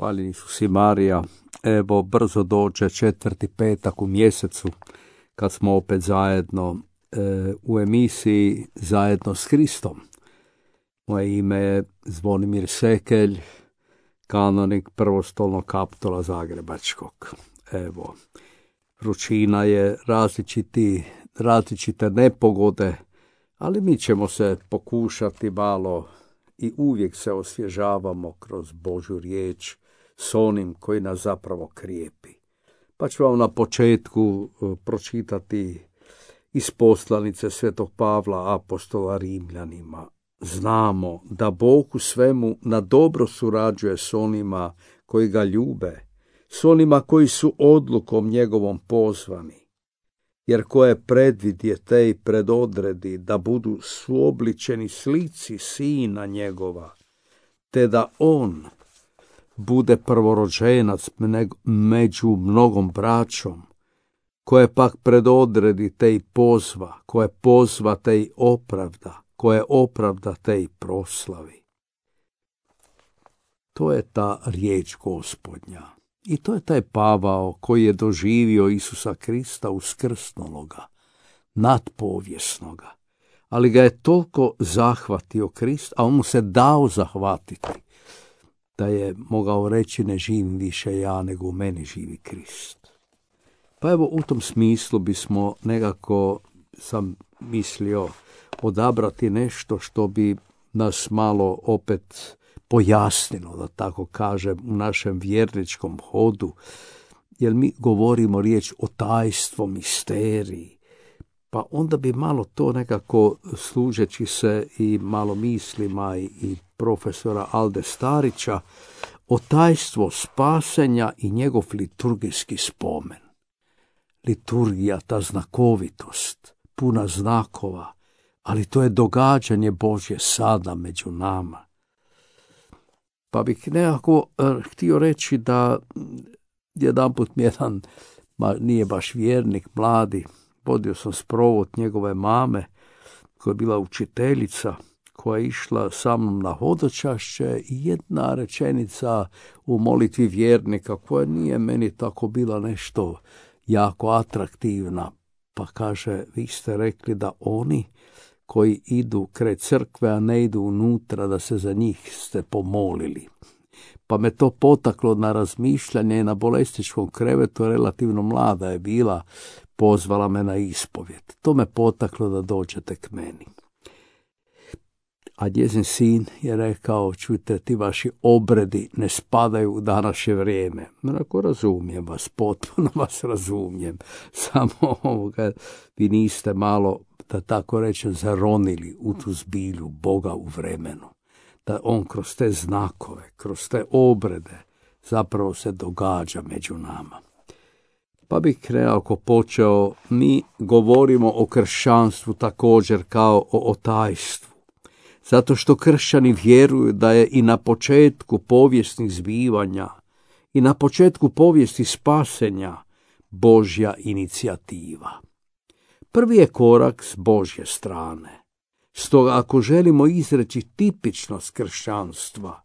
hvaljeni su si Marija. Evo, brzo dođe 4. petak u mjesecu, kad smo opet zajedno u emisiji Zajedno s Hristom. Moje ime je Zvonimir Sekelj, kanonik prvostolnog kapitola Zagrebačkog. Evo, vrućina je, različite nepogode, ali mi ćemo se pokušati malo i uvijek se osvježavamo kroz Božju riječ s onim koji nas zapravo krijepi. Pa ću vam na početku pročitati iz poslanice Svetog Pavla apostola Rimljanima. Znamo da Bog u svemu na dobro surađuje s onima koji ga ljube, s onima koji su odlukom njegovom pozvani. Jer koje predvidje te i predodredi da budu suobličeni slici sina njegova, te da on bude prvorođenac među mnogom braćom, koje pak predodredi te i pozva, koje pozva te i opravda, koje opravda te i proslavi. To je ta riječ Gospodnja. I to je taj Pavao koji je doživio Isusa Krista uskrsnuloga, nadpovjesnoga. Ali ga je toliko zahvatio Krist, a on mu se dao zahvatiti, da je mogao reći ne živim više ja, nego u meni živi Krist. Pa evo, u tom smislu bismo nekako, sam mislio, odabrati nešto što bi nas malo opet pojasnilo, da tako kažem, u našem vjerničkom hodu, jer mi govorimo riječ o tajstvu, misteriji, pa onda bi malo to nekako, služeći se i malo mislima i profesora Alde Starića, o tajstvu spasenja i njegov liturgijski spomen. Liturgija, ta znakovitost, puna znakova, ali to je događanje Božje sada među nama. Pa bih nekako htio reći da jedanput mi jedan, nije baš vjernik, mladi, vodio sam sprovod njegove mame, koja je bila učiteljica, koja je išla sa mnom na hodočašće, i jedna rečenica u molitvi vjernika, koja nije meni tako bila nešto jako atraktivna, pa kaže, vi ste rekli da oni koji idu kraj crkve, a ne idu unutra, da se za njih ste pomolili. Pa me to potaklo na razmišljanje, na bolesničkom krevetu, relativno mlada je bila, pozvala me na ispovjed. To me potaklo da dođete k meni. A njezin sin je rekao, čujte, ti vaši obredi ne spadaju u današnje vrijeme. Onako, razumijem vas, potpuno vas razumijem. Samo vi niste malo, da tako rečem, zaronili u tu zbilju Boga u vremenu. Da on kroz te znakove, kroz te obrede zapravo se događa među nama. Pa bih nekako počeo, mi govorimo o kršćanstvu također kao o tajstvu. Zato što kršćani vjeruju da je i na početku povijesnih zbivanja i na početku povijesti spasenja Božja inicijativa. Prvi je korak s Božje strane. Stoga ako želimo izreći tipičnost kršćanstva,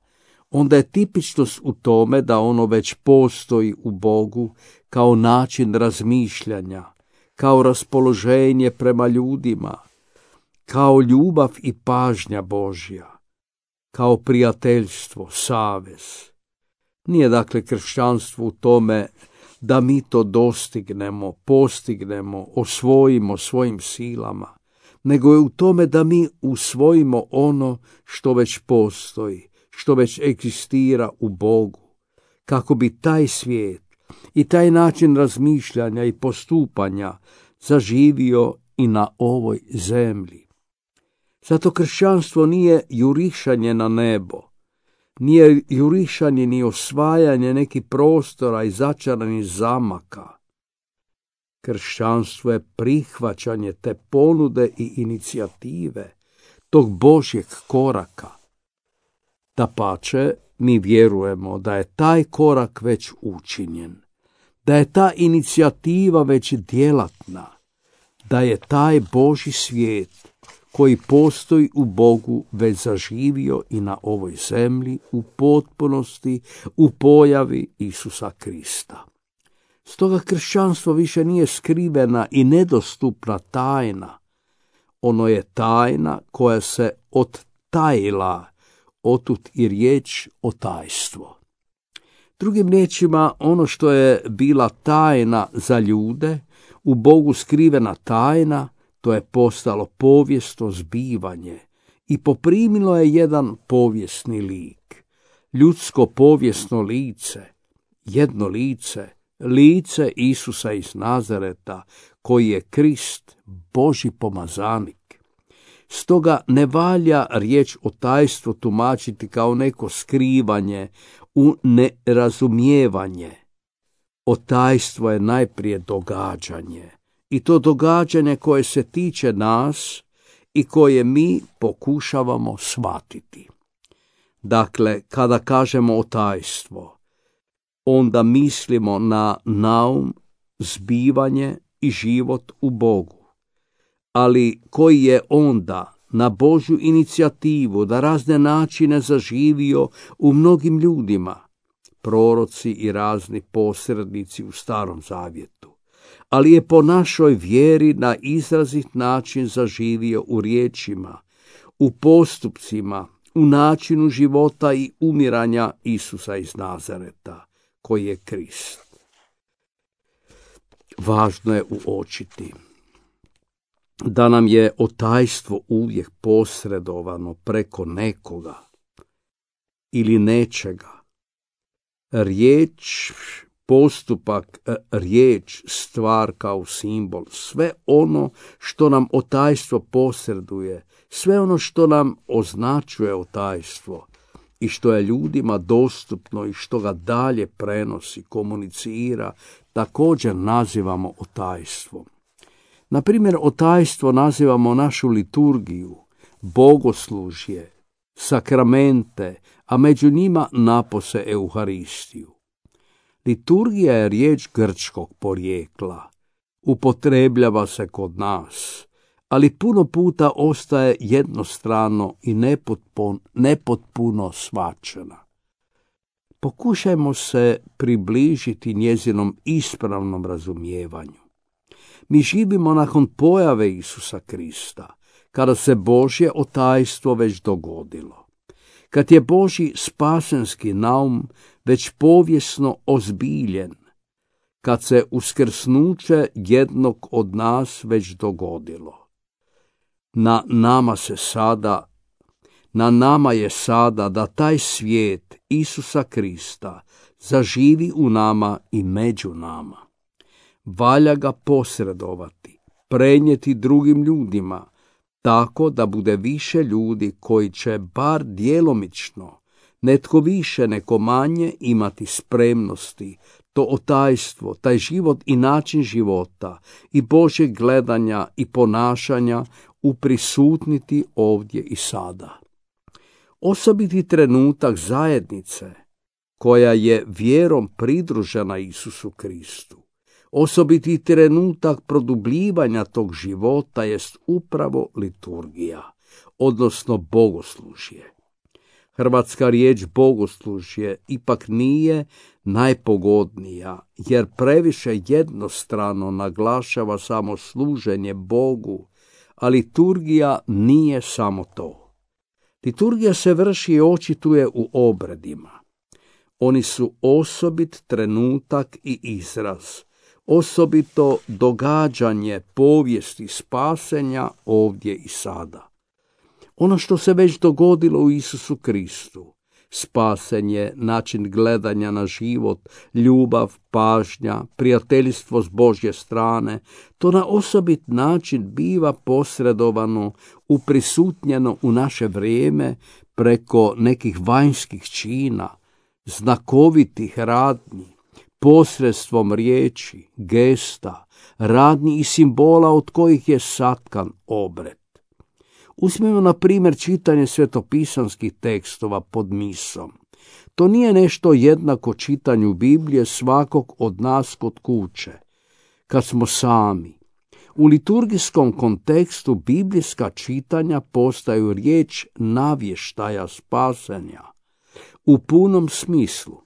onda je tipičnost u tome da ono već postoji u Bogu kao način razmišljanja, kao raspoloženje prema ljudima, kao ljubav i pažnja Božja, kao prijateljstvo, savez. Nije dakle kršćanstvo u tome da mi to dostignemo, postignemo, osvojimo svojim silama, nego je u tome da mi usvojimo ono što već postoji, što već egzistira u Bogu, kako bi taj svijet i taj način razmišljanja i postupanja zaživio i na ovoj zemlji. Zato kršćanstvo nije jurišanje na nebo, nije jurišanje ni osvajanje nekih prostora i začaranih zamaka. Kršćanstvo je prihvaćanje te ponude i inicijative, tog Božjeg koraka. Dapače, mi vjerujemo da je taj korak već učinjen, da je ta inicijativa već djelatna, da je taj Božji svijet koji postoji u Bogu već zaživio i na ovoj zemlji u potpunosti u pojavi Isusa Krista. Stoga kršćanstvo više nije skrivena i nedostupna tajna. Ono je tajna koja se odtajila, otud i riječ o tajstvo. Drugim riječima, ono što je bila tajna za ljude, u Bogu skrivena tajna, to je postalo povijesno zbivanje i poprimilo je jedan povijesni lik. Ljudsko povijesno lice, jedno lice, lice Isusa iz Nazareta, koji je Krist, Božji pomazanik. Stoga ne valja riječ o tajstvu tumačiti kao neko skrivanje u nerazumijevanje. Otajstvo je najprije događanje, i to događanje koje se tiče nas i koje mi pokušavamo shvatiti. Dakle, kada kažemo otajstvo, onda mislimo na naum, zbivanje i život u Bogu, ali koji je onda na Božju inicijativu da razne načine zaživio u mnogim ljudima, proroci i razni posrednici u Starom Zavjetu, ali je po našoj vjeri na izrazit način zaživio u riječima, u postupcima, u načinu života i umiranja Isusa iz Nazareta, koji je Krist. Važno je uočiti da nam je otajstvo uvijek posredovano preko nekoga ili nečega. Riječ, postupak, riječ, stvar kao simbol, sve ono što nam otajstvo posreduje, sve ono što nam označuje otajstvo i što je ljudima dostupno i što ga dalje prenosi, komunicira, također nazivamo otajstvom. Na primjer, otajstvo nazivamo našu liturgiju, bogoslužje, sakramente, a među njima napose Euharistiju. Liturgija je riječ grčkog porijekla, upotrebljava se kod nas, ali puno puta ostaje jednostrano i nepotpuno shvaćena. Pokušajmo se približiti njezinom ispravnom razumijevanju. Mi živimo nakon pojave Isusa Krista, kada se Božje otajstvo već dogodilo. Kad je Božji spasenski naum već povijesno ozbiljen, kad se uskrsnuće jednog od nas već dogodilo. Na nama je sada da taj svijet Isusa Krista zaživi u nama i među nama. Valja ga posredovati, prenijeti drugim ljudima, tako da bude više ljudi koji će bar djelomično, netko više, neko manje, imati spremnosti, to otajstvo, taj život i način života i Božjeg gledanja i ponašanja uprisutniti ovdje i sada. Osobiti trenutak zajednice koja je vjerom pridružena Isusu Kristu, osobiti trenutak produbljivanja tog života jest upravo liturgija, odnosno bogoslužje. Hrvatska riječ bogoslužje ipak nije najpogodnija, jer previše jednostrano naglašava samo služenje Bogu, a liturgija nije samo to. Liturgija se vrši i očituje u obredima. Oni su osobit trenutak i izraz, osobito događanje povijesti spasenja ovdje i sada. Ono što se već dogodilo u Isusu Kristu, spasenje, način gledanja na život, ljubav, pažnja, prijateljstvo s Božje strane, to na osobit način biva posredovano, uprisutnjeno u naše vrijeme preko nekih vanjskih čina, znakovitih radnji, posredstvom riječi, gesta, radnji i simbola od kojih je satkan obred. Uzmimo na primjer čitanje svetopisanskih tekstova pod misom. To nije nešto jednako čitanju Biblije svakog od nas kod kuće, kad smo sami. U liturgijskom kontekstu biblijska čitanja postaju riječ navještaja spasenja. U punom smislu,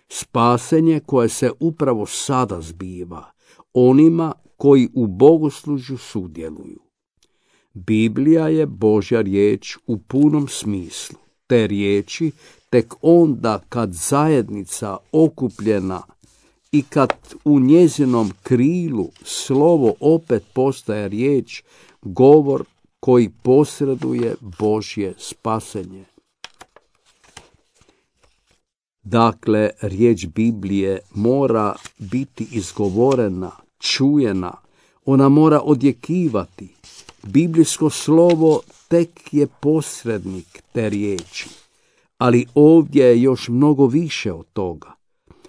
spasenje koje se upravo sada zbiva onima koji u bogoslužju sudjeluju. Biblija je Božja riječ u punom smislu. Te riječi tek onda kad zajednica okupljena i kad u njezinom krilu slovo opet postaje riječ, govor koji posreduje Božje spasenje. Dakle, riječ Biblije mora biti izgovorena, čujena, ona mora odjekivati. Biblijsko slovo tek je posrednik te riječi, ali ovdje je još mnogo više od toga.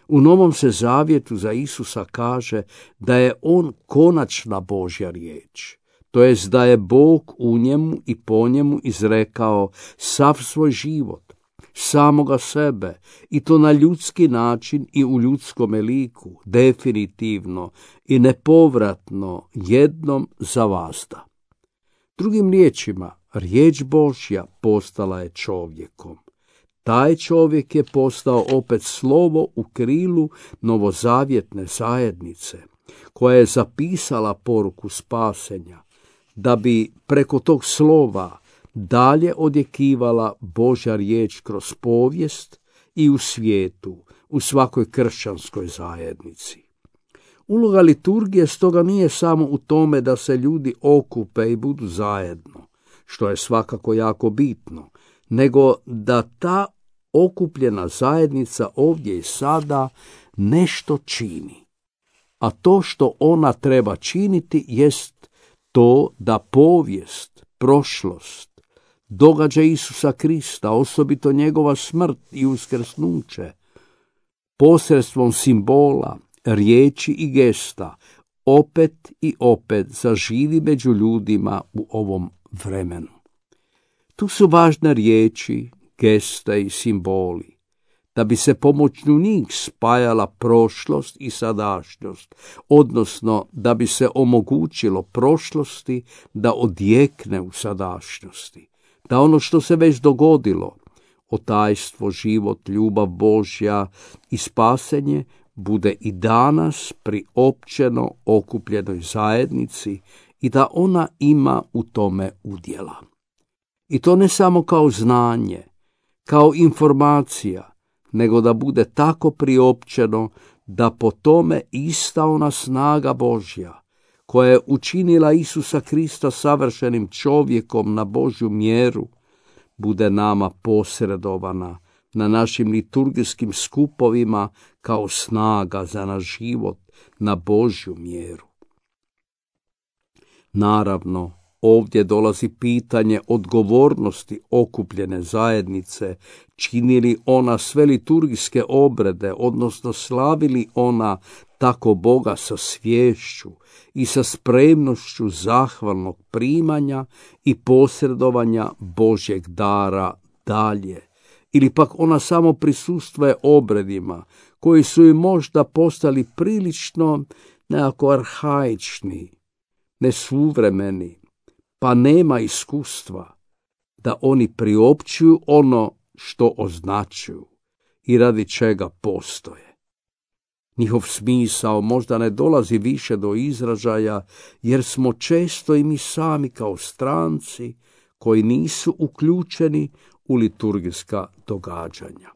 U Novom se zavjetu za Isusa kaže da je on konačna Božja riječ, to jest da je Bog u njemu i po njemu izrekao sav svoj život, samoga sebe, i to na ljudski način i u ljudskome liku, definitivno i nepovratno, jednom za vazda. Drugim riječima, riječ Božja postala je čovjekom. Taj čovjek je postao opet slovo u krilu novozavjetne zajednice, koja je zapisala poruku spasenja, da bi preko tog slova dalje odjekivala Božja riječ kroz povijest i u svijetu, u svakoj kršćanskoj zajednici. Uloga liturgije stoga nije samo u tome da se ljudi okupe i budu zajedno, što je svakako jako bitno, nego da ta okupljena zajednica ovdje i sada nešto čini. A to što ona treba činiti jest to da povijest, prošlost, događaj Isusa Krista, osobito njegova smrt i uskrsnuće, posredstvom simbola, riječi i gesta, opet i opet zaživi među ljudima u ovom vremenu. Tu su važne riječi, geste i simboli, da bi se pomoću njih spajala prošlost i sadašnjost, odnosno da bi se omogućilo prošlosti da odjekne u sadašnjosti, da ono što se već dogodilo, otajstvo, život, ljubav Božja i spasenje, bude i danas priopćeno okupljenoj zajednici i da ona ima u tome udjela. I to ne samo kao znanje, kao informacija, nego da bude tako priopćeno da po tome ista ona snaga Božja, koja je učinila Isusa Krista savršenim čovjekom na Božju mjeru, bude nama posredovana na našim liturgijskim skupovima kao snaga za naš život na Božju mjeru. Naravno, ovdje dolazi pitanje odgovornosti okupljene zajednice, čini li ona sve liturgijske obrede, odnosno slavi li ona tako Boga sa sviješću i sa spremnošću zahvalnog primanja i posredovanja Božjeg dara dalje, ili pak ona samo prisustvuje obredima koji su im možda postali prilično nekako arhaični, nesuvremeni, pa nema iskustva da oni priopćuju ono što označuju i radi čega postoje. Njihov smisao možda ne dolazi više do izražaja, jer smo često i mi sami kao stranci koji nisu uključeni u liturgijska događanja.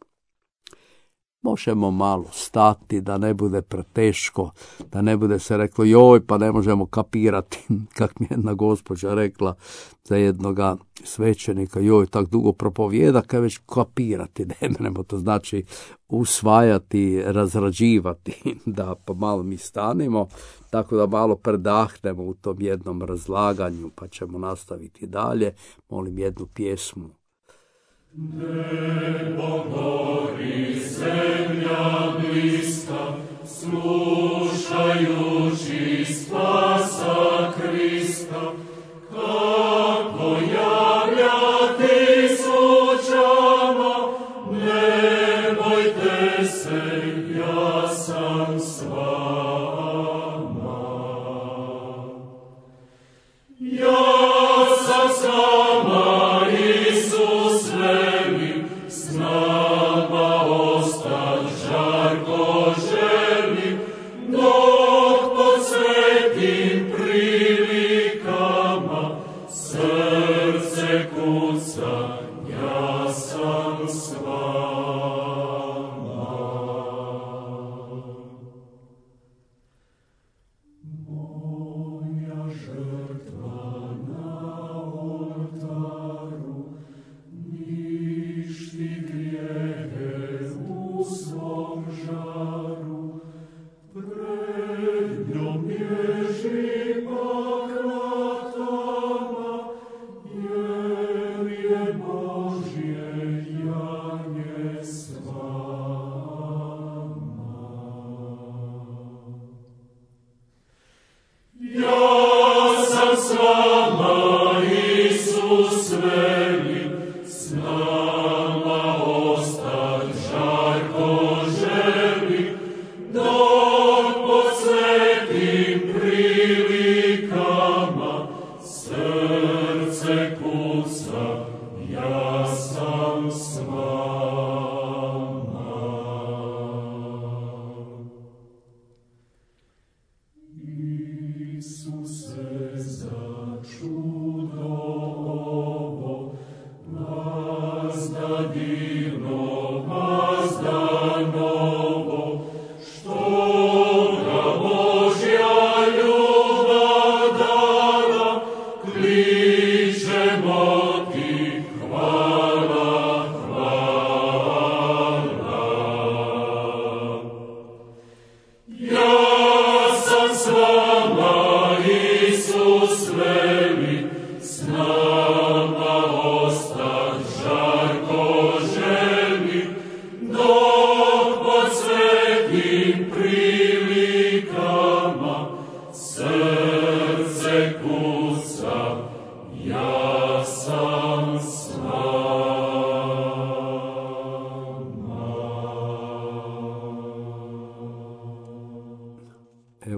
Možemo malo stati da ne bude preteško, da ne bude se reklo joj pa ne možemo kapirati, kak mi jedna gospođa rekla za jednoga svećenika, joj tak dugo propovijeda, kaj već kapirati ne možemo, to znači usvajati, razrađivati, da pa malo mi stanemo, tako da malo predahnemo u tom jednom razlaganju, pa ćemo nastaviti dalje. Molim jednu pjesmu. Nebo gori, zemlja bliska, slušajući spasa Krista, kako javljati slučama, ne bojte se, ja sam s vama.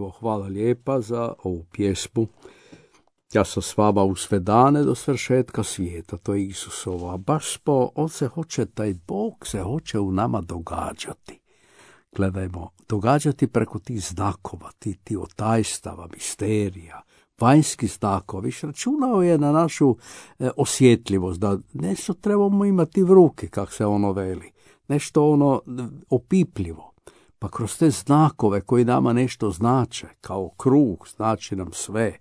Evo, hvala lijepa za ovu pjesmu. Ja sam s vama u sve dane do svršetka svijeta, to je Isusova. Baš on se hoće, taj Bog se hoće u nama događati. Gledajmo, događati preko tih znakova, ti otajstava, misterija, vanjskih znakova. Viš računao je na našu osjetljivost, da nešto trebamo imati v ruke, kak se ono veli. Nešto opipljivo. Pa kroz te znakove koji nama nešto znače, kao krug, znači nam sve.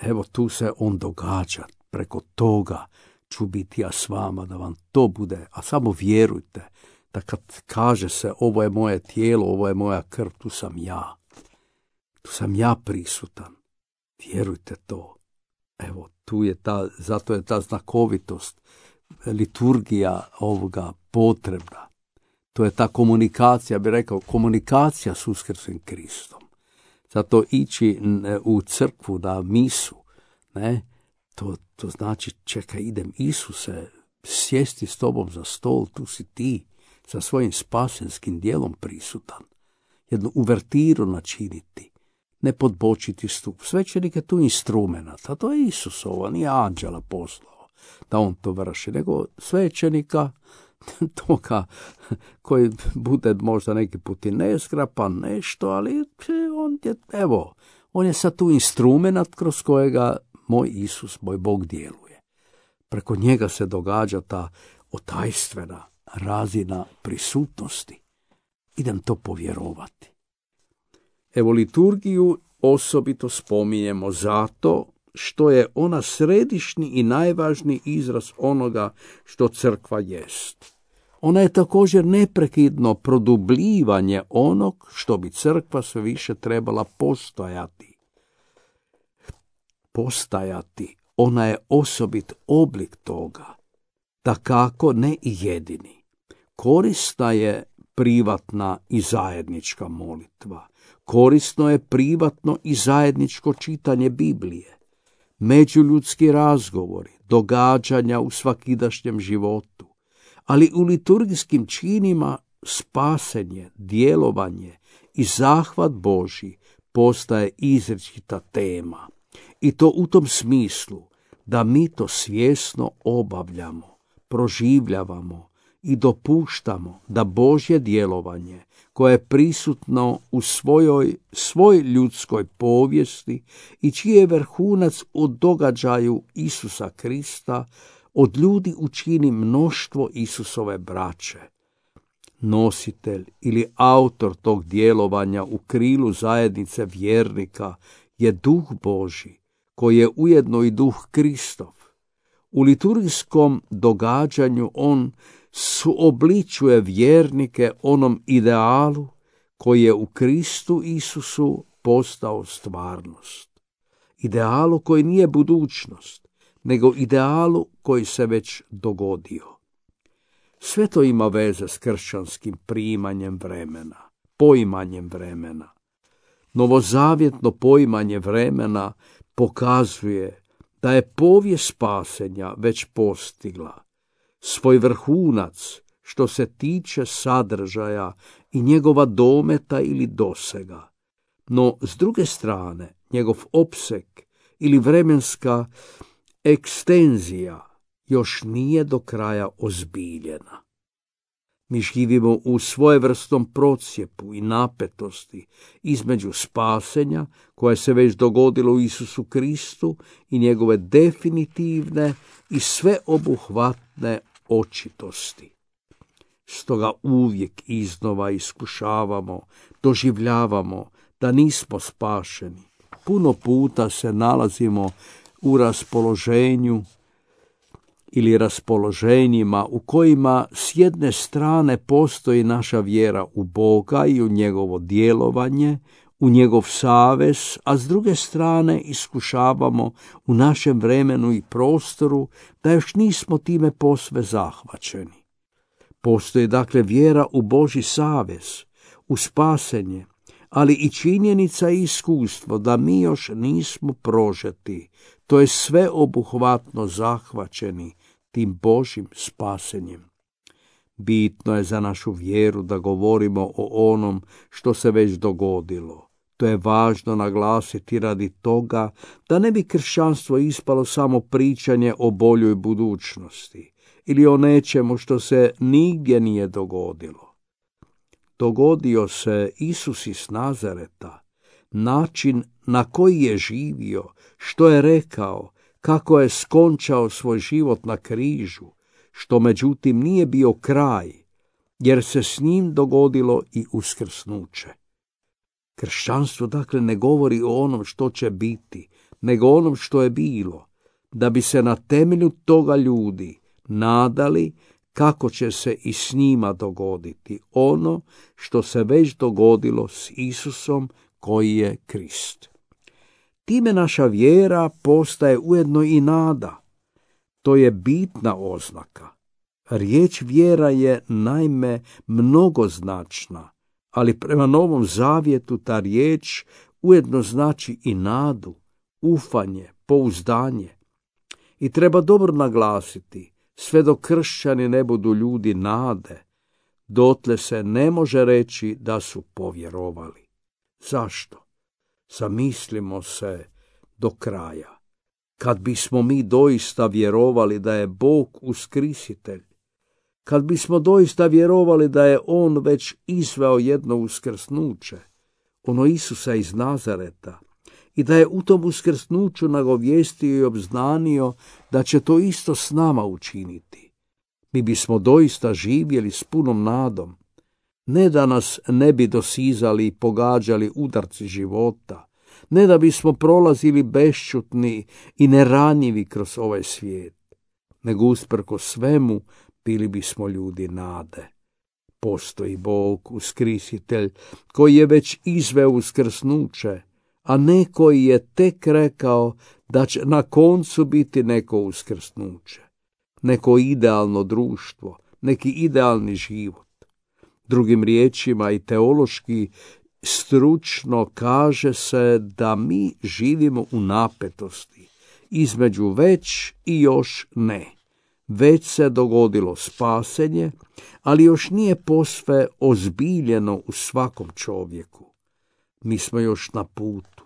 Evo tu se on događa, preko toga ću biti ja s vama, da vam to bude, a samo vjerujte, da kad kaže se ovo je moje tijelo, ovo je moja krv, tu sam ja prisutan, vjerujte to. Evo, zato je ta znakovitost, liturgija ovoga potrebna. To je ta komunikacija, bi rekao, komunikacija s uskrslim Kristom. Zato ići u crkvu na misu, to znači, čekaj, idem Isuse, sjesti s tobom za stol, tu si ti, sa svojim spasenskim dijelom prisutan. Jednu uvertiru načiniti, ne podbočiti stup. Svećenik je tu instrumenat, a to je Isusova, nije anđela poslao da on to vrši, nego svećenika, toga koji bude možda neki put i nezgrapan nešto, ali on je sad tu instrumenat kroz kojega moj Isus, moj Bog djeluje. Preko njega se događa ta otajstvena razina prisutnosti. Idem to povjerovati. Evo, liturgiju osobito spominjemo zato što je ona središnji i najvažniji izraz onoga što crkva jest. Ona je također neprekidno produbljivanje onog što bi crkva sve više trebala postajati. Ona je osobit oblik toga, dakako ne i jedini. Korisna je privatna i zajednička molitva. Korisno je privatno i zajedničko čitanje Biblije. Međuljudski razgovori, događanja u svakidašnjem životu, ali u liturgijskim činima spasenje, djelovanje i zahvat Božji postaje izričita tema. I to u tom smislu da mi to svjesno obavljamo, proživljavamo i dopuštamo da Božje djelovanje, koje je prisutno u svoj ljudskoj povijesti i čiji je vrhunac u događaju Isusa Krista, od ljudi učini mnoštvo Isusove braće. Nositelj ili autor tog djelovanja u krilu zajednice vjernika je Duh Božji, koji je ujedno i Duh Kristov. U liturgijskom događanju on suobličuje vjernike onom idealu koji je u Kristu Isusu postao stvarnost. Idealu koji nije budućnost, nego idealu koji se već dogodio. Sve to ima veze s kršćanskim primanjem vremena, poimanjem vremena. Novozavjetno poimanje vremena pokazuje da je povijest spasenja već postigla svoj vrhunac što se tiče sadržaja i njegova dometa ili dosega. No, s druge strane, njegov opseg ili vremenska ekstenzija još nije do kraja ozbiljena. Mi živimo u svojevrsnom procjepu i napetosti između spasenja koje se već dogodilo u Isusu Kristu i njegove definitivne i sveobuhvatne očitosti. Stoga uvijek iznova iskušavamo, doživljavamo da nismo spašeni. Puno puta se nalazimo u raspoloženju ili raspoloženjima u kojima s jedne strane postoji naša vjera u Boga i u njegovo djelovanje, u njegov savez, a s druge strane iskušavamo u našem vremenu i prostoru da još nismo time posve zahvaćeni. Postoji dakle vjera u Božji savez, u spasenje, ali i činjenica i iskustvo da mi još nismo prožeti, to je sveobuhvatno zahvaćeni tim Božjim spasenjem. Bitno je za našu vjeru da govorimo o onom što se već dogodilo. To je važno naglasiti radi toga da ne bi kršćanstvo ispalo samo pričanje o boljoj budućnosti ili o nečemu što se nigdje nije dogodilo. Dogodio se Isus iz Nazareta, način na koji je živio, što je rekao, kako je skončao svoj život na križu, što međutim nije bio kraj, jer se s njim dogodilo i uskrsnuće. Kršćanstvo dakle ne govori o onom što će biti, nego o onom što je bilo, da bi se na temelju toga ljudi nadali kako će se i s njima dogoditi ono što se već dogodilo s Isusom koji je Krist. Time naša vjera postaje ujedno i nada. To je bitna oznaka. Riječ vjera je naime mnogoznačna, ali prema Novom Zavjetu ta riječ ujedno znači i nadu, ufanje, pouzdanje. I treba dobro naglasiti, sve dok kršćani ne budu ljudi nade, dotle se ne može reći da su povjerovali. Zašto? Zamislimo se do kraja. Kad bismo mi doista vjerovali da je Bog uskrisitelj, kad bismo doista vjerovali da je On već izveo jedno uskrsnuće, ono Isusa iz Nazareta, i da je u tom uskrsnuću nagovijestio i obznanio da će to isto s nama učiniti, mi bismo doista živjeli s punom nadom, ne da nas ne bi dosizali i pogađali udarci života, ne da bismo prolazili bešćutni i neranjivi kroz ovaj svijet, nego usprkos svemu bili bismo ljudi nade. Postoji Bog, uskrisitelj, koji je već izveo uskrsnuće, a ne koji je tek rekao da će na koncu biti neko uskrsnuće, neko idealno društvo, neki idealni život. Drugim riječima i teološki stručno kaže se da mi živimo u napetosti između već i još ne. Već se dogodilo spasenje, ali još nije posve ozbiljeno u svakom čovjeku. Mi smo još na putu,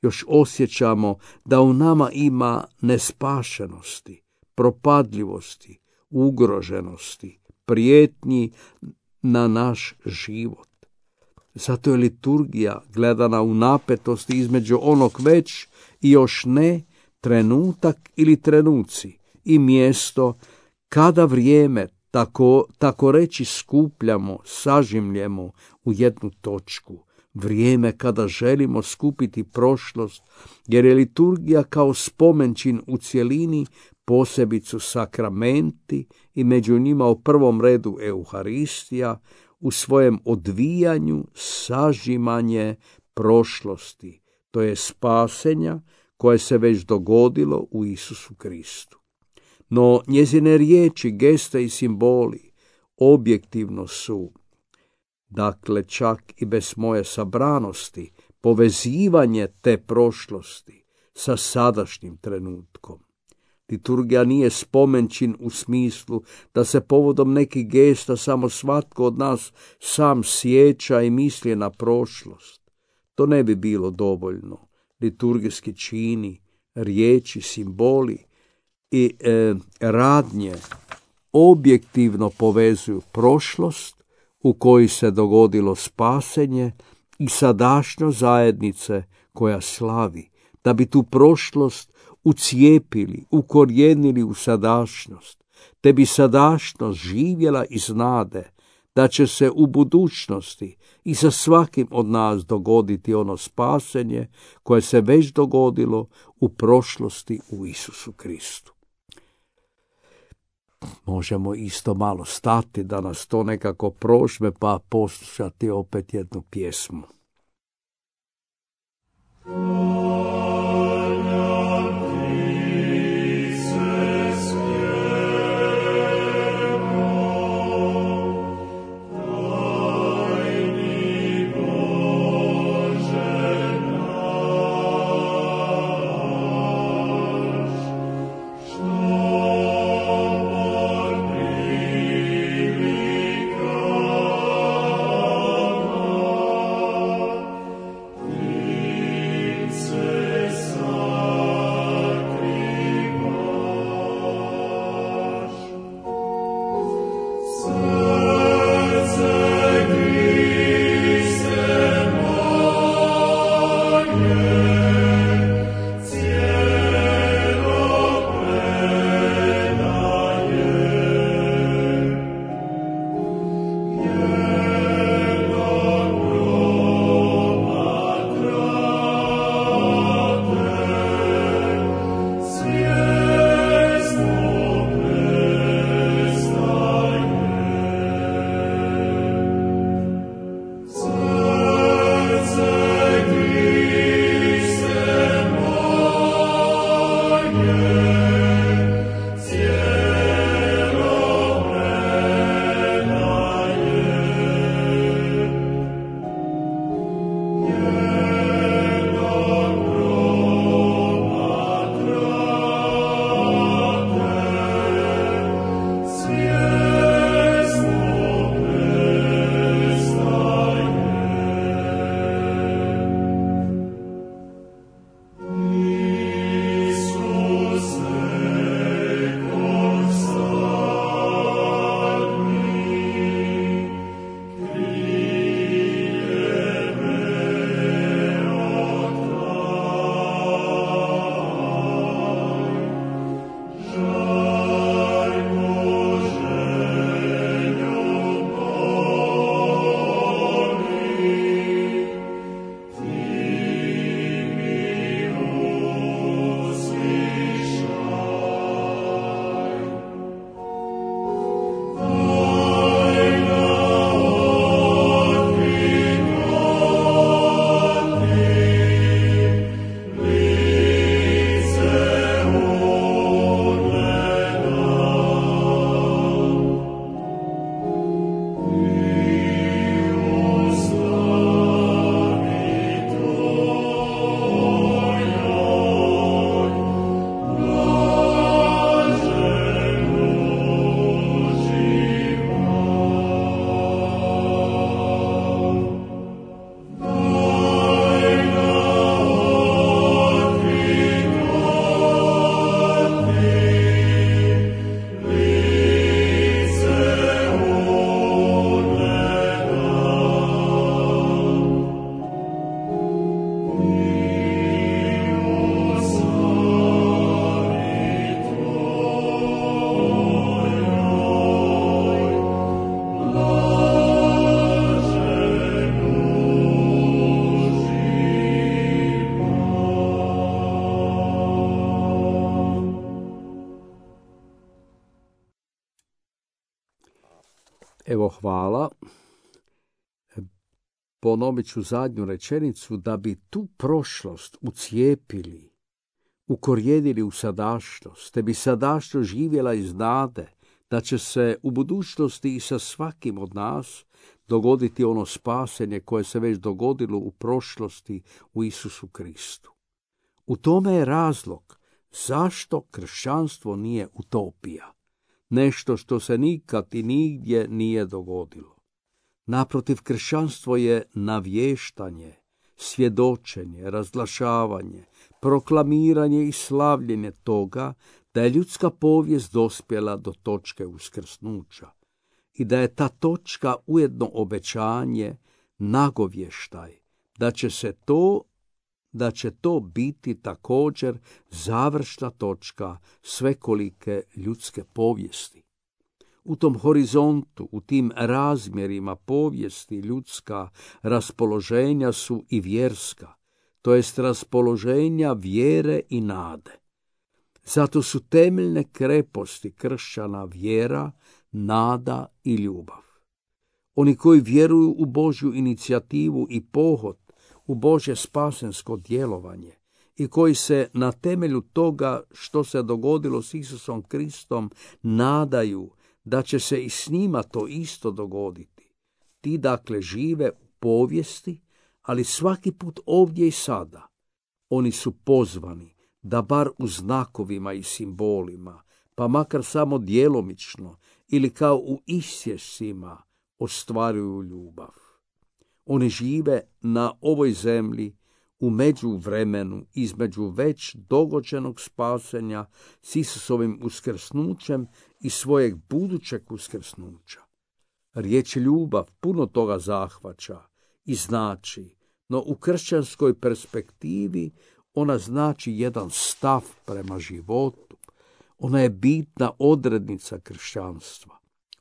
još osjećamo da u nama ima nespašenosti, propadljivosti, ugroženosti, prijetnji na naš život. Zato je liturgija gledana u napetosti između onog već i još ne, trenutak ili trenuci i mjesto kada vrijeme tako reći skupljamo, sažimljemo u jednu točku. Vrijeme kada želimo skupiti prošlost, jer je liturgija kao spomenčin u cjelini, posebicu sakramenti i među njima u prvom redu Euharistija, u svojem odvijanju sažimanje prošlosti, to je spasenja koje se već dogodilo u Isusu Kristu. No njezine riječi, geste i simboli objektivno su, dakle čak i bez moje sabranosti, povezivanje te prošlosti sa sadašnjim trenutkom. Liturgija nije spomenčin u smislu da se povodom nekih gesta samo svatko od nas sam sjeća i misli na prošlost. To ne bi bilo dovoljno. Liturgijski čini, riječi, simboli i radnje objektivno povezuju prošlost u kojoj se dogodilo spasenje i sadašnjost zajednice koja slavi, da bi tu prošlost ucijepili, ukorijenili u sadašnjost, te bi sadašnjost živjela iz nade da će se u budućnosti i sa svakim od nas dogoditi ono spasenje koje se već dogodilo u prošlosti u Isusu Kristu. Možemo isto malo stati da nas to nekako prožme pa poslušati opet jednu pjesmu. Evo hvala. Ponovit ću zadnju rečenicu, da bi tu prošlost ucijepili, ukorijenili u sadašnjost, te bi sadašnjost živjela iz nade, da će se u budućnosti i sa svakim od nas dogoditi ono spasenje koje se već dogodilo u prošlosti u Isusu Kristu. U tome je razlog zašto kršćanstvo nije utopija, nešto što se nikad i nigdje nije dogodilo. Naprotiv, kršćanstvo je navještanje, svjedočenje, razglašavanje, proklamiranje i slavljenje toga da je ljudska povijest dospjela do točke uskrsnuća i da je ta točka ujedno obećanje, nagovještaj, da će to biti također završna točka svekolike ljudske povijesti. U tom horizontu, u tim razmjerima povijesti ljudska raspoloženja su i vjerska, to jest raspoloženja vjere i nade. Zato su temeljne kreposti kršćana vjera, nada i ljubav. Oni koji vjeruju u Božju inicijativu i pohod, u Božje spasensko djelovanje i koji se na temelju toga što se dogodilo s Isusom Kristom nadaju da će se i s njima to isto dogoditi. Ti dakle žive u povijesti, ali svaki put ovdje i sada. Oni su pozvani da bar u znakovima i simbolima, pa makar samo djelomično ili kao u isječcima, ostvaruju ljubav. Oni žive na ovoj zemlji u međuvremenu između već dogođenog spasenja s Isusovim uskrsnućem i svojeg budućeg uskrsnuća. Riječ ljubav puno toga zahvaća i znači no u kršćanskoj perspektivi ona znači jedan stav prema životu. Ona je bitna odrednica kršćanstva.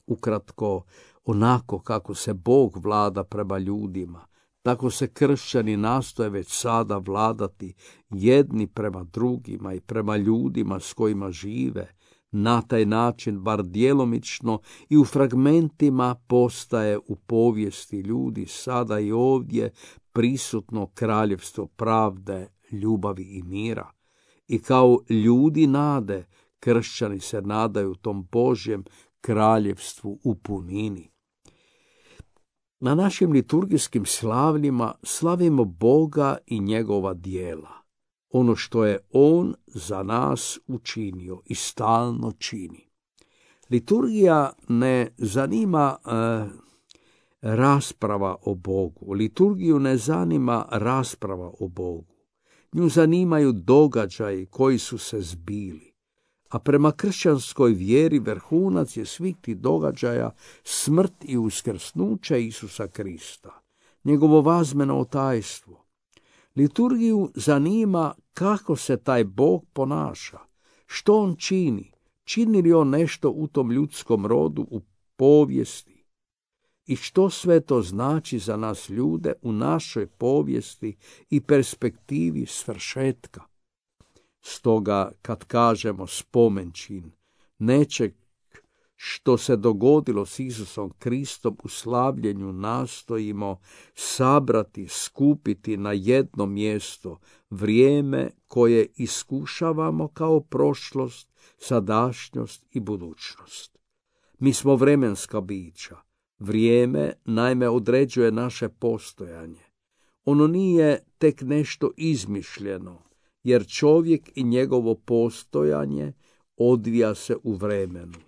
Ukratko, onako kako se Bog vlada prema ljudima, tako se kršćani nastoje već sada vladati jedni prema drugima i prema ljudima s kojima žive. Na taj način, bar djelomično i u fragmentima, postaje u povijesti ljudi sada i ovdje prisutno kraljevstvo pravde, ljubavi i mira. I kao ljudi nade, kršćani se nadaju tom Božjem kraljevstvu u punini. Na našim liturgijskim slavljima slavimo Boga i njegova djela, ono što je On za nas učinio i stalno čini. Liturgija ne zanima rasprava o Bogu. Liturgiju ne zanima rasprava o Bogu. Nju zanimaju događaji koji su se zbili. A prema kršćanskoj vjeri vrhunac je svih tih događaja smrt i uskrsnuće Isusa Krista, njegovo vazmeno tajstvo. Liturgiju zanima kako se taj Bog ponaša, što on čini, čini li on nešto u tom ljudskom rodu, u povijesti i što sve to znači za nas ljude u našoj povijesti i perspektivi svršetka. Stoga, kad kažemo spomenčin nečeg što se dogodilo s Isusom Kristom u slavljenju, nastojimo sabrati, skupiti na jedno mjesto vrijeme koje iskušavamo kao prošlost, sadašnjost i budućnost. Mi smo vremenska bića. Vrijeme naime određuje naše postojanje. Ono nije tek nešto izmišljeno, jer čovjek i njegovo postojanje odvija se u vremenu.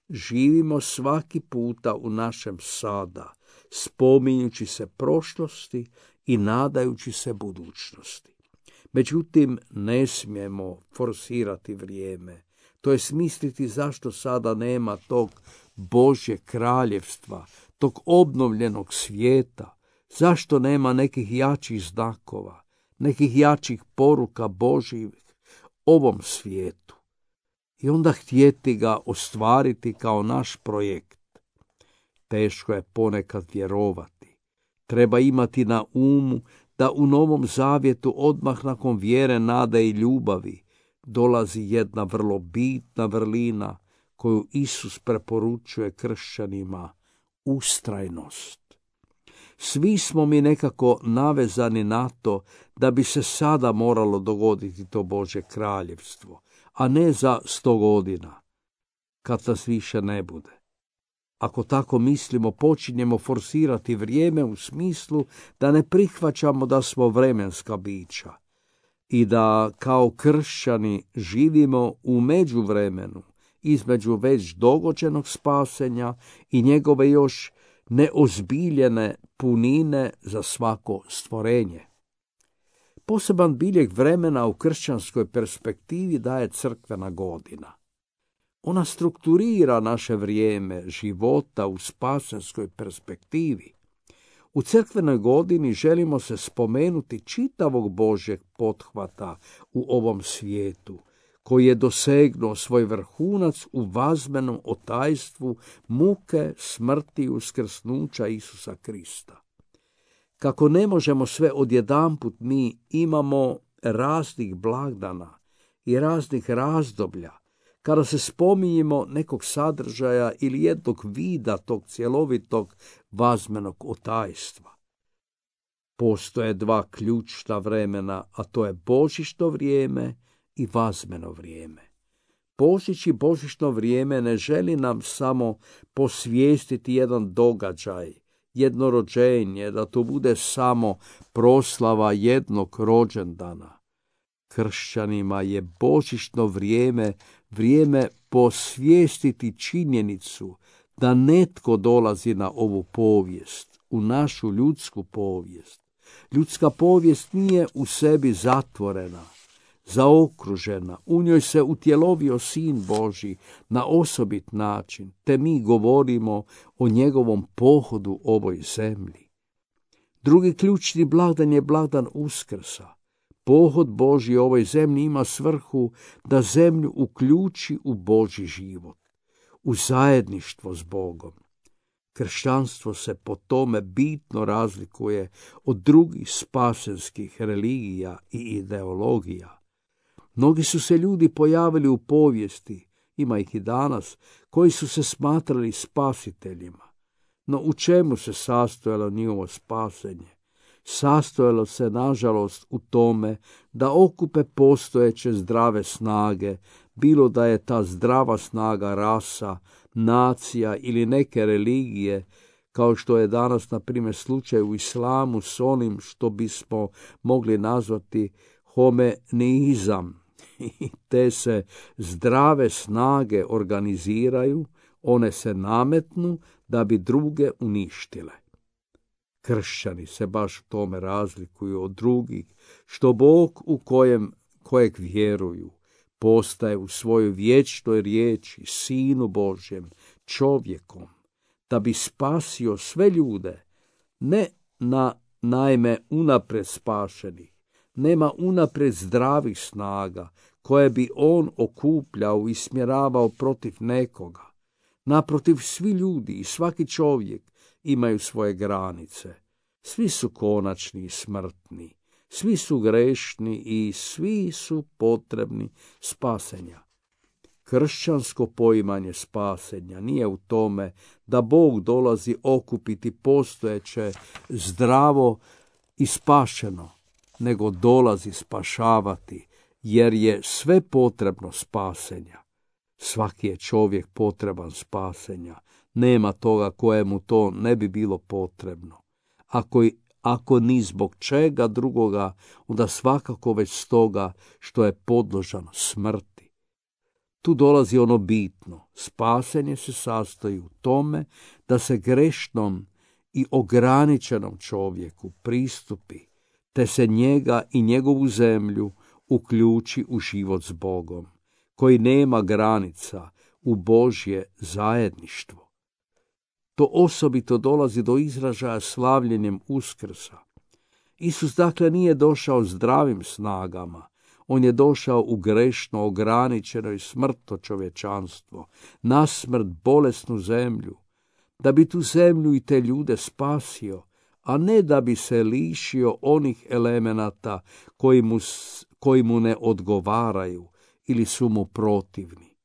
Živimo svaki puta u našem sada, spominjući se prošlosti i nadajući se budućnosti. Međutim, ne smijemo forsirati vrijeme, to je smisliti zašto sada nema tog Božjeg kraljevstva, tog obnovljenog svijeta, zašto nema nekih jačih znakova, nekih jačih poruka Božjih ovom svijetu. I onda htjeti ga ostvariti kao naš projekt. Teško je ponekad vjerovati. Treba imati na umu da u Novom Zavjetu odmah nakon vjere, nade i ljubavi dolazi jedna vrlo bitna vrlina koju Isus preporučuje kršćanima, ustrajnost. Svi smo mi nekako navezani na to da bi se sada moralo dogoditi to Božje kraljevstvo, a ne za 100 godina, kad nas više ne bude. Ako tako mislimo, počinjemo forsirati vrijeme u smislu da ne prihvaćamo da smo vremenska bića i da kao kršćani živimo u međuvremenu između već dogođenog spasenja i njegove još neozbiljene punine za svako stvorenje. Poseban biljeg vremena u kršćanskoj perspektivi daje crkvena godina. Ona strukturira naše vrijeme života u spasenskoj perspektivi. U crkvenoj godini želimo se spomenuti čitavog Božjeg pothvata u ovom svijetu, koji je dosegnuo svoj vrhunac u vazmenom otajstvu muke, smrti i uskrsnuća Isusa Krista. Kako ne možemo sve odjedanput, mi imamo raznih blagdana i raznih razdoblja, kada se spominjemo nekog sadržaja ili jednog vida tog cjelovitog vazmenog otajstva. Postoje dva ključna vremena, a to je božićno vrijeme i vazmeno vrijeme. Božić i božićno vrijeme ne želi nam samo posvijestiti jedan događaj, jedno rođenje, da to bude samo proslava jednog rođendana. Kršćanima je božićno vrijeme vrijeme posvijestiti činjenicu da netko dolazi na ovu povijest, u našu ljudsku povijest. Ljudska povijest nije u sebi zatvorena, zaokružena, u njoj se utjelovio Sin Božji na osobit način, te mi govorimo o njegovom pohodu ovoj zemlji. Drugi ključni blagdan je blagdan Uskrsa. Pohod Božji u ovoj zemlji ima svrhu da zemlju uključi u Božji život, u zajedništvo s Bogom. Kršćanstvo se po tome bitno razlikuje od drugih spasenskih religija i ideologija. Mnogi su se ljudi pojavili u povijesti, ima ih i danas, koji su se smatrali spasiteljima. No u čemu se sastojalo njihovo spasenje? Sastojalo se, nažalost, u tome da okupe postojeće zdrave snage, bilo da je ta zdrava snaga rasa, nacija ili neke religije, kao što je danas, na primjer, slučaj u islamu s onim što bismo mogli nazvati homenizam. I te se zdrave snage organiziraju, one se nametnu da bi druge uništile. Kršćani se baš tome razlikuju od drugih, što Bog kojeg vjeruju postaje u svojoj vječnoj riječi, Sinu Božjem, čovjekom, da bi spasio sve ljude, ne naime unaprijed spašenih, nema unaprijed zdravih snaga koje bi on okupljao i smjeravao protiv nekoga. Naprotiv, svi ljudi i svaki čovjek imaju svoje granice. Svi su konačni i smrtni, svi su grešni i svi su potrebni spasenja. Kršćansko poimanje spasenja nije u tome da Bog dolazi okupiti postojeće zdravo i spašeno, nego dolazi spašavati, jer je sve potrebno spasenja. Svaki je čovjek potreban spasenja. Nema toga kojemu to ne bi bilo potrebno. Ako ni zbog čega drugoga, onda svakako već stoga što je podložan smrti. Tu dolazi ono bitno. Spasenje se sastoji u tome da se grešnom i ograničenom čovjeku pristupi, te se njega i njegovu zemlju uključi u život s Bogom, koji nema granica, u Božje zajedništvo. To osobito dolazi do izražaja slavljenjem Uskrsa. Isus dakle nije došao zdravim snagama, on je došao u grešno, ograničeno i smrtno čovječanstvo, na smrt bolesnu zemlju, da bi tu zemlju i te ljude spasio, a ne da bi se lišio onih elemenata koji mu ne odgovaraju ili su mu protivni.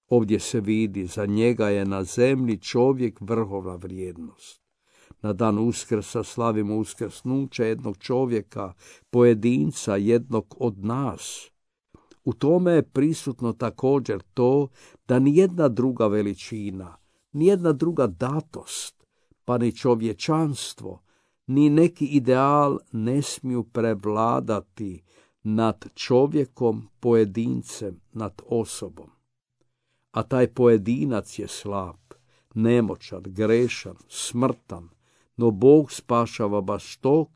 Ovdje se vidi, za njega je na zemlji čovjek vrhovna vrijednost. Na dan Uskrsa slavimo uskrsnuće jednog čovjeka, pojedinca, jednog od nas. U tome je prisutno također to da nijedna druga veličina, nijedna druga datost, pa ni čovječanstvo, ni neki ideal ne smiju prevladati nad čovjekom, pojedincem, nad osobom. A taj pojedinac je slab, nemoćan, grešan, smrtan, no Bog spašava baš tog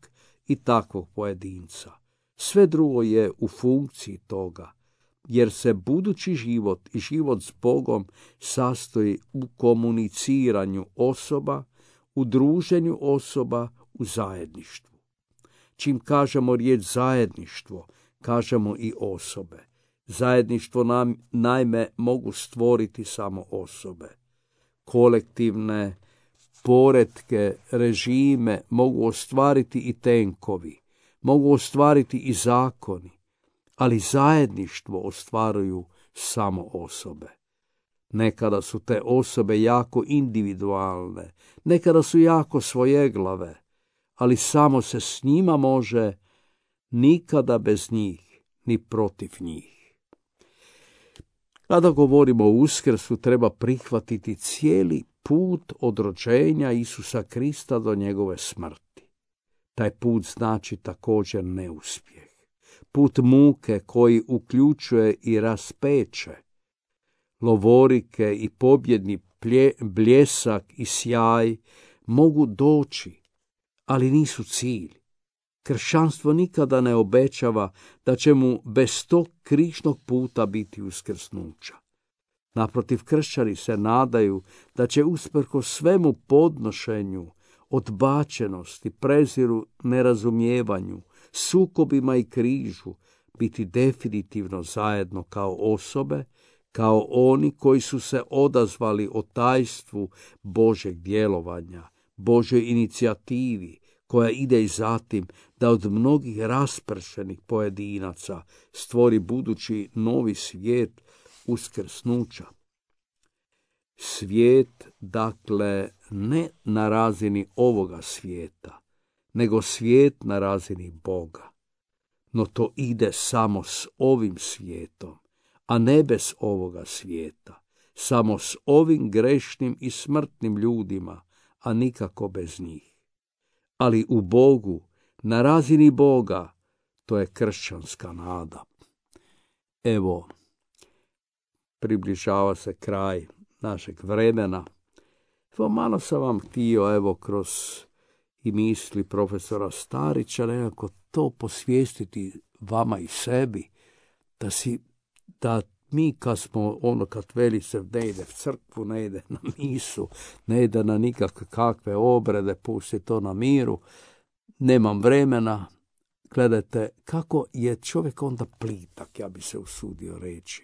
i takvog pojedinca. Sve drugo je u funkciji toga, jer se budući život i život s Bogom sastoji u komuniciranju osoba, u druženju osoba, u zajedništvu. Čim kažemo riječ zajedništvo, kažemo i osobe. Zajedništvo naime mogu stvoriti samo osobe. Kolektivne poretke, režime mogu ostvariti i tenkovi, mogu ostvariti i zakoni, ali zajedništvo ostvaruju samo osobe. Nekada su te osobe jako individualne, nekada su jako svojeglave, ali samo se s njima može, nikada bez njih, ni protiv njih. Kada govorimo o Uskrsu, treba prihvatiti cijeli put od rođenja Isusa Krista do njegove smrti. Taj put znači također neuspjeh. Put muke koji uključuje i raspeće. Lovorike i pobjedni bljesak i sjaj mogu doći, ali nisu cilj. Kršćanstvo nikada ne obećava da će mu bez tog križnog puta biti uskrsnuća. Naprotiv, kršćani se nadaju da će usprkos svemu podnošenju odbačenosti, preziru, nerazumijevanju, sukobima i križu, biti definitivno zajedno kao osobe, kao oni koji su se odazvali o tajstvu Božeg djelovanja, Božoj inicijativi, koja ide i zatim da od mnogih raspršenih pojedinaca stvori budući novi svijet uskrsnuća. Svijet, dakle, ne na razini ovoga svijeta, nego svijet na razini Boga. No to ide samo s ovim svijetom, a ne bez ovoga svijeta, samo s ovim grešnim i smrtnim ljudima, a nikako bez njih. Ali u Bogu, na razini Boga, to je kršćanska nada. Evo, približava se kraj našeg vremena. Evo, malo sam vam htio, kroz i misli profesora Starića, nekako to posvijestiti vama i sebi, da mi kad veli se ne ide v crkvu, ne ide na misu, ne ide na nikakve obrede, pusti to na miru, nemam vremena. Gledajte, kako je čovjek onda plitak, ja bi se usudio reći.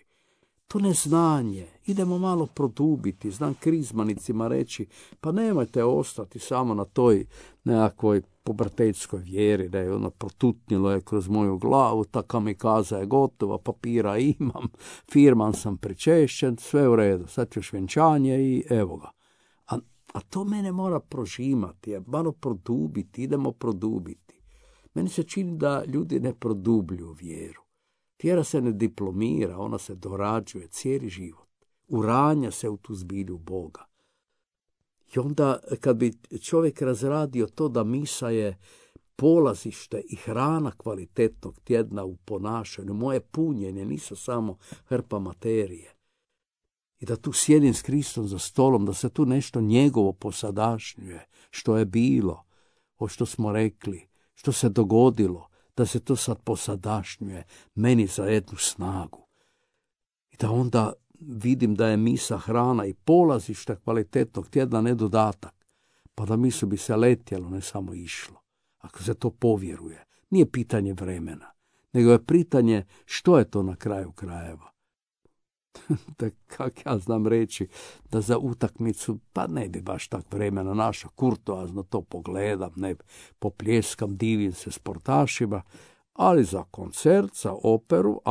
To neznanje, idemo malo produbiti, znam krizmanicima reći, pa nemojte ostati samo na toj nekakvoj pubertetskoj vjeri, da je ono protutnilo je kroz moju glavu, ta kamikaza je gotova, papira imam, firman sam pričešćen, sve u redu, sad ćeš vjenčanje i evo ga. A to mene mora prožimati, malo produbiti, idemo produbiti. Meni se čini da ljudi ne produbljuju vjeru. Vjera se ne diplomira, ona se dorađuje cijeli život. Uranja se u tu zbilju Boga. I onda kad bi čovjek razradio to da misa je polazište i hrana kvalitetnog tjedna u ponašanju, moje punjenje nisu samo hrpa materije. I da tu sjedim s Kristom za stolom, da se tu nešto njegovo posadašnjuje, što je bilo, o što smo rekli, što se dogodilo, da se to sad posadašnjuje meni za jednu snagu. I da onda vidim da je misa hrana i polazište kvalitetnog tjedna, ne dodatak. Pa da misu bi se letjelo, ne samo išlo. Ako se to povjeruje. Nije pitanje vremena, nego je pitanje što je to na kraju krajeva. Da, kak ja znam reći, da za utakmicu, pa ne bi baš tak vremena našao, kurtoazno to pogledam, ne popljeskam, divim se sportašima, ali za koncert, za operu,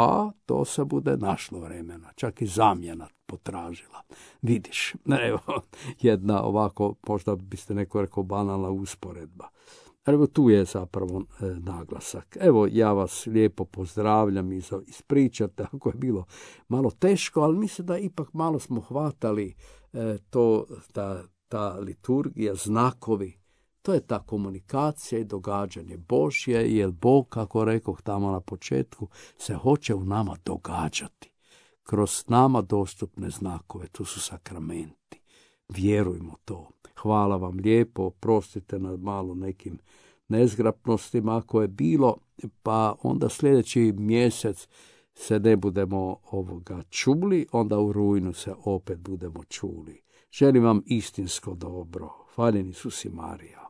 to se bude našlo vremena, čak i zamjena potražila. Vidiš, evo, jedna ovako, možda biste neko rekao banalna usporedba. Evo tu je zapravo naglasak. Evo ja vas lijepo pozdravljam i ispričate ako je bilo malo teško, ali mislim da ipak malo smo hvatali ta liturgija, znakovi. To je ta komunikacija i događanje Božje, jer Bog, kako rekoh tamo na početku, se hoće u nama događati. Kroz nama dostupne znakove, to su sakramenti. Vjerujmo to. Hvala vam lijepo, oprostite na malo nekim nezgrapnostima ako je bilo, pa onda sljedeći mjesec se ne budemo čuli, onda u rujnu se opet budemo čuli. Želim vam istinsko dobro. Hvaljen Isus i Marija.